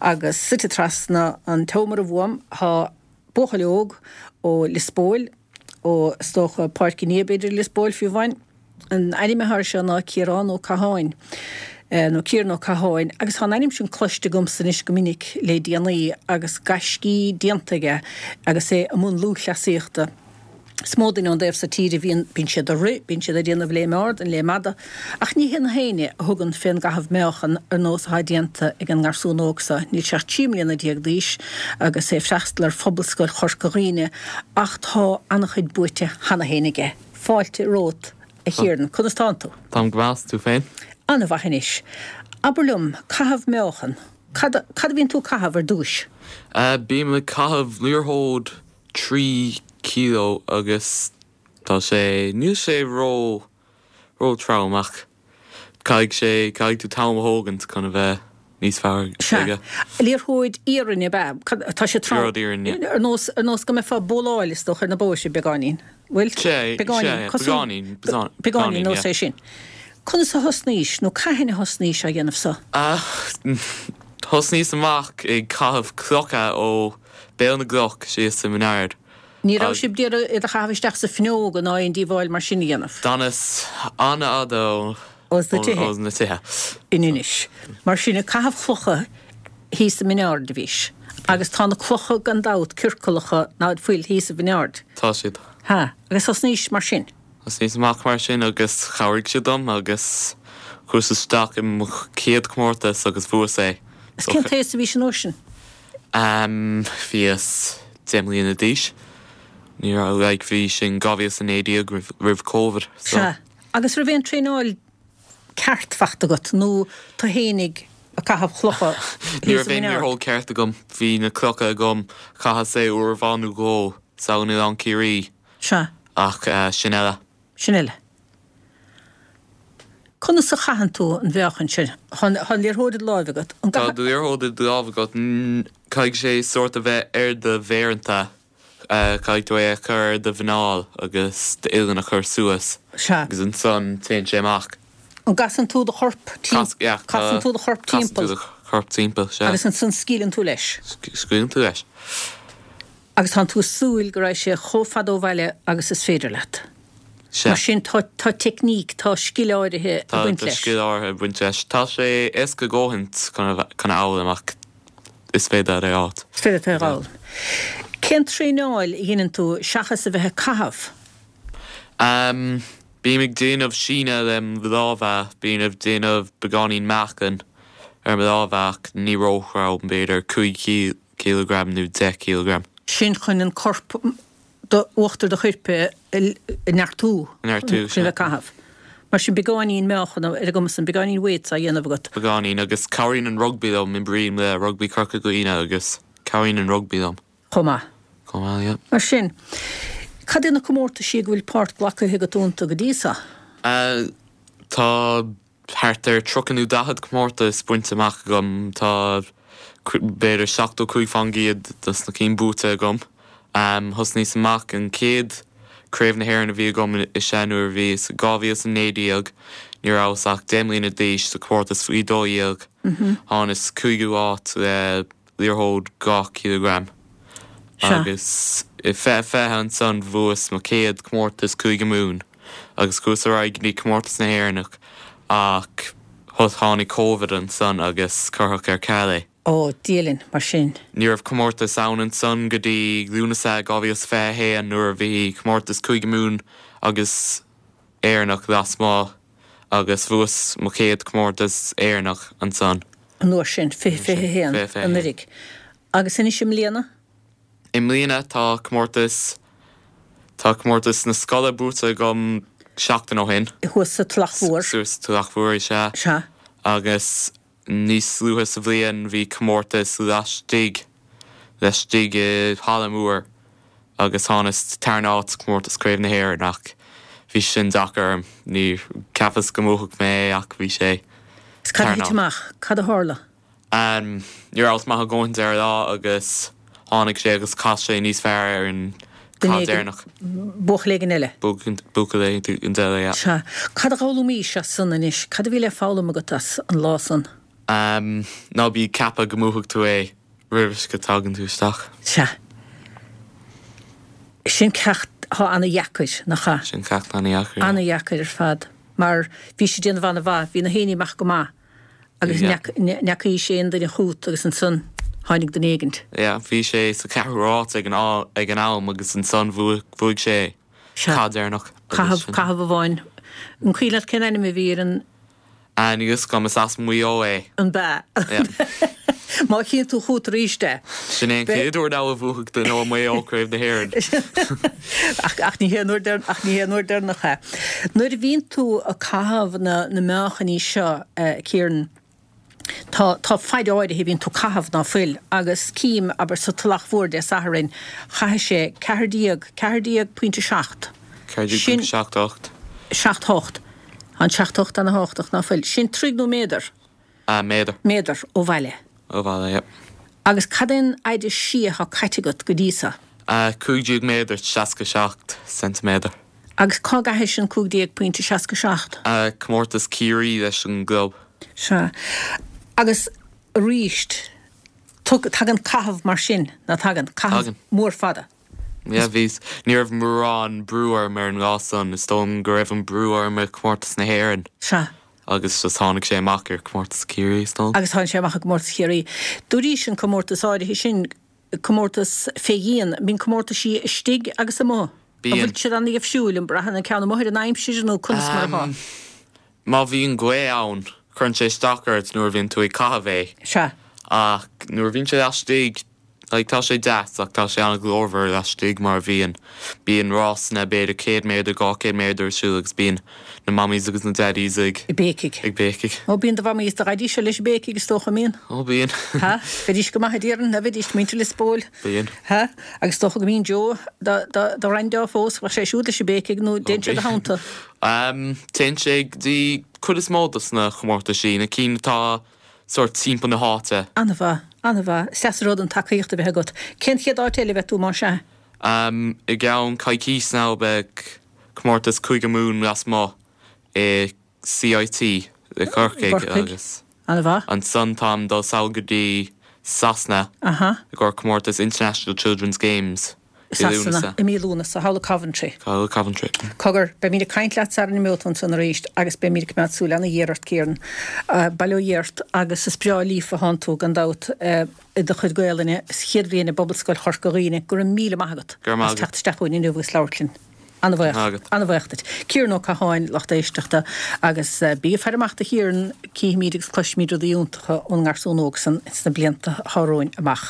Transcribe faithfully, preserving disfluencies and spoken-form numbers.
Agus suite trasna an tseomra uaim tá buachaill óg ó Lios Póil, ó is dócha Páirc an Fhia b'fhéidir Lios Póil fiú amháin. An ainm atá air seo ná Ciarán Ó Catháin, nó Ciaran Ó Catháin, agus tá an ainm sin cloiste agamsa anois go minic le déanaí agus gaiscí déanta aige agus é i mbun lúthchleasaíochta. Is mó duine ón dtaobh so tíre a bhíonn, bíonn siad ag rith, bíonn siad ag déanamh léim ard and léim fhada, ach ní hé na héinne a thugann fén gcaitheamh meáchan ar nós atá déanta ag an ngarsún óg so. Níl sé ach trí mbliana déag d'aois agus é ag freastal ar Phobalscoil Chorca Dhuibhne ach tá an-chuid buaite cheana féin aige. Fáilte romhat, a Chiaran. Conas tánn tú? Táim go maith, 's tú féin? An-mhaith anois. Abair liom, caitheamh meáchan, cad, cad a bhíonn tú ag caitheamh ar dtúis? Bím ag caitheamh liathróid trí kilo agus tá sé, níl sé ró, ró trom ach caithfidh sé, caithfidh tú t-am a thógaint chun a bheith níos fearr aige. Sea. Liathróid iarainn ab ea? Cad, tá sé trom. Liathróid iarainn, yeah. Ar nós, ar nós go mbeifeá ag bowláil is dócha ar na bóithre beagáinín. Bhfuil? Sea, Beagáinín, sea, cosúil, beagáinín, beagáinín beagáinín, nós yeah. é sin. Conas a thosnaís nó cathain a thosnaís á dhéanamh so? Ah, thosnaíos amach ag caitheamh clocha ó Béal na gCloch síos i Mín Ard. Ní raibh sibh d'iarraidh iad a chaitheamh isteach sa fuinneog ná aon díobháil mar sin a dhéanamh? D'fhanas an-fhada ó Os na tithe. Os na tithe. In Inis. Mar sin, ag caitheamh clocha thíos i Mín Ard a bhís. Agus tá na clocha gan dabht ciorcalacha ná fuil thíos i Mín Ard. Tá siad. Ha, agus thosnaís mar sin? Thosnaíos amach mar sin agus chabhraigh siad dom agus chuas isteach i mo chéad chomórtas agus bhuas é. Is cén t-aois a bhís an uair sin? Um, bhíos deich mbliana d'aois. Ní raibh, like, bhí sin dhá mhíle is a naoi déag roimh, roimh Covid. So. Sea. Agus raibh aon traenáil ceart fachta agat nó tú fhéinig ag caitheamh clocha Ní thíos raibh i aon Mín Ard? liathróid ceart agam. Bhí na clocha agam, chaitheas é uair amháin nó dhó san Oileán Ciarraí. Sea. Ach uh, sin eile. Sin eile. Conas a chaitheann tú an mheáchan sin? Tá an liathróid i do láimh agat. An Tá do liathróid i do láimh agat. Caithfidh sé sórt a bheith ar do mhéireanta. Caithfidh tú é a chur ar do mhuineál agus d'uillinn a chur suas. Sea. Agus ansan téann sé amach. An gcasann tú do chorp Cas, yeah, casann tú do chorp casann tú timpeall? do chorp timpeall, sea. Agus ansan scaoileann tú leis? Scaoileann tú leis. Agus tánn tú ag súil go raghaidh sé chomh fada ó bhaile agus is féidir leat. Sea. Mar sin tá tá teicníc, tá scil áirithe ag Tá baint tá leis. scil áirithe ag baint leis. Tá sé éasca a dhóthaint chun a bhe- chun a fhoghlaim ach is féidir é a fháil. Is féidir é a fhoghlaim. Cén traenáil a dhéanann tú seachas a bheith ag caitheamh? Um, bím ag déanamh síneadh le mo lámha, bím ag déanamh beagáinín meáchan ar mo lámha ach ní róthrom, b'fhéidir cúig kilogram nó deich kilogram. Sin chun an corp do uachtar do choirp a a neartú. Neartú, Chun sea. bheith caitheamh. Mar sin beagáinín meáchan ar an gcuma san, beagáinín weights á dhéanamh agat. Beagáinín agus cabhraíonn an rugby liom, imrím le rugby Corca Dhuibhne agus cabhraíonn an rugby liom. Chomh maith. Chomh maith, yeah. Mar sin, cad é na comórtaisí go bhfuil páirt glactha agat iontu go dtí seo? Uh, tá thart ar tríocha nó daichead comórtas bainte amach agam tá b'fhéidir seachtó cúig faoin gcéad dos na cinn buaite agam. Um, thosnaíos amach an chéad craobh na hÉireann a bhí agam is ea nuair a bhí dhá mhíle is a naoi déag, ní rabhas ach deich mbliana d'aois sa comórtas faoi dó dhéag. Thánas cúigiú áit le liathróid dhá kilogram. Sea. Agus i fiche fiche ansan bhuas mo chéad comórtas Cúige Mumhan agus chuas ar aghaidh go dtí comórtas na hÉireannach ach tháinig Covid ansan agus cuireadh ar ceal é. Ó, Dia linn, mar sin. Ní raibh comórtas ann ansan go dtí Lúnasa dhá mhíle is fiche a haon nuair a bhí comórtas Cúige Mumhan agus Éireannach lasmuigh agus bhuas mo chéad comórtas Éireannach ansan. An uair sin, fiche fiche a haon, Fiche fiche a haon. anuraidh. Agus anois i mbliana? I mbliana tá comórtas tá comórtas na scoile buaite agam seachtain ó shin. Thuas sa Tulach Mhór. Suas sa Tulach Mhór is ea. Sea. Agus níos luaithe sa bhliain bhí comórtas laistigh laistigh i halla mór agus thánas tarna háit comórtas Craobh na hÉireann ach bhí sin deacair orm. Ní cheapas go mbuafadh mé é ach bhí sé Is cad a tarna thit amach? Cad a tharla? Um, ní rabhas maith a dhóthain ar lá agus tháinig sé agus chas sé níos fearr ar an Duine cad deireanach. Buachaill éigin eile. Buachaill éigin eile, yeah. Sea. Cad a d'fhoghlaimís as san anois? Cad a bhí le foghlaim agat as an lá san? Um, ná bí ag ceapadh go mbuafaidh tú é roimh go dtagann tú isteach. Sea. Sin ceacht atá ana-dheacair, nach ea? Sin ceacht ana-dheacair. Ana-dheacair ar fad. Mar bhí sé ag déanamh ana-mhaith, bhí na haoinní amach go maith agus n'fheacaís aon duine chút agus ansan tháinig duine éigint. Yeah, bhí sé sa ceathrú háit ag an ag an am agus ansan bhuaigh sé cath deireanach. Caitheamh, caitheamh amháin. An cuimhin leat cén ainm a bhí ar an. Ah, níl fhios agam, is as Maigh Eo é. An b'ea? Má chíonn tú chút arís é. Sin é an chéad uair now a bhuafaidh duine ó Mhaigh Eo Craobh na hÉireann. Ach ní hé an uair ach ní hé an uair deireanach é. Nuair a bhíonn tú ag caitheamh na na meáchainí seo, Kieran, tá tá faid áirithe a bhíonn tú ag caitheamh ná fuil agus cím, abair, sa Tulach Mhór Dé Sathairn, chaith sé ceathair déag, ceathair déag pointe seacht. Ceathair déag pointe seacht ocht. Seacht hocht. An seacht hocht ana thábhachtach, ná fuil? Sin troigh nó méadar? Ah, méadar. Méadar, ó bhaile. Ó bhaile, yep. Agus cad é an fhaide siar atá caite agat go dtí so? Ah, cúig déag méadar, seasca seacht ceintiméadar. Agus cá gcaithis an cúig déag pointe seasca seacht? Ah, comórtas Ciarraí leis an gclub. Sea. Agus aríst, tagann caitheamh mar sin, ná tagann? Caitheamh mór fada. Yeah, bhí, ní raibh mórán brú orm ar an lá san, is dóigh liom go raibh an brú orm ar Chomórtas na hÉireann. Sea. Agus just tháinig sé amach ar Chomórtas Chiarraí, is dóigh liom. Agus tháinig sé amach ar Chomórtas Chiarraí. Dúraís an comórtas áirithe sin, comórtas fé dhíon, bíonn comórtaisí istigh agus amuigh. Bíonn. An bhfuil siad ana-dhifriúil, an mbraitheann an ceann amuigh ar an aimsir nó conas mar atá? Má bhíonn gaoth ann, cuireann sé isteach ort nuair a bhíonn tú ag caitheamh é. Sea. Ach nuair a bhíonn sé laistigh, Like, tá sé deas ach tá sé an-ghlórmhar laistigh mar a bhíonn. Bíonn rásanna b'fhéidir céad méadar, dhá chéad méadar ar siúl agus bíonn na mammies agus na daddies ag. Ag béicigh. Ag béicigh. Ó, bíonn do mhamaí is do dhaidí seo leis ag béicigh is dócha, an mbíonn? Ó, bíonn. Ha? Bheidís go maith a déarfainn, a bheidís, muintir Lios Póil. Bíonn. Ha? Agus is dócha go mbíonn Joe, do, do, do ghraindeá fós, bheadh sé siúd leis ag béicigh nó dtéann sé i do theannta? Umm, téann sé go dtí cuid is mó dos na chomórtaisí, na cinn atá sórt timpeall na háite. An-mhaith, an-mhaith. Is deas an rud an tacaíocht a bheith agat. Cén chéad áit eile a bheidh tú, más ea? Umm, i gceann coicís now beidh comórtas Cúige Mumhan lasmuigh i CIT i gCorcaigh agus An-mhaith. ansan táim dul sall go dtí Sasana Aha. i gcomhair comórtas International Children's Games. I Sasana, i mí Lúnasa, thall i Coventry. Thall i Coventry. Cogar, beimid ag caint leat sara n-imeoidh tú ansan arís agus beimid ag coimeád súil ana-ghéar ort, Kieran. Bail ó Dhia ort agus is breá líofa atánn tú, gan dabht, i do chuid Gaelainne sa chéad bhliain i bPobalscoil Chorca Dhuibhne. Go raibh míle maith agat as teacht isteach chugainn inniu agus labhairt linn. Ana-bhuíoch. Ana-bhuíoch duit. Kieran Ó Catháin, lucht éisteachta, agus bí ag faire amach do Chiaran, cífimid agus cloisfimid rudaí iontacha ón ngarsún óg san sna blianta atá romhainn amach.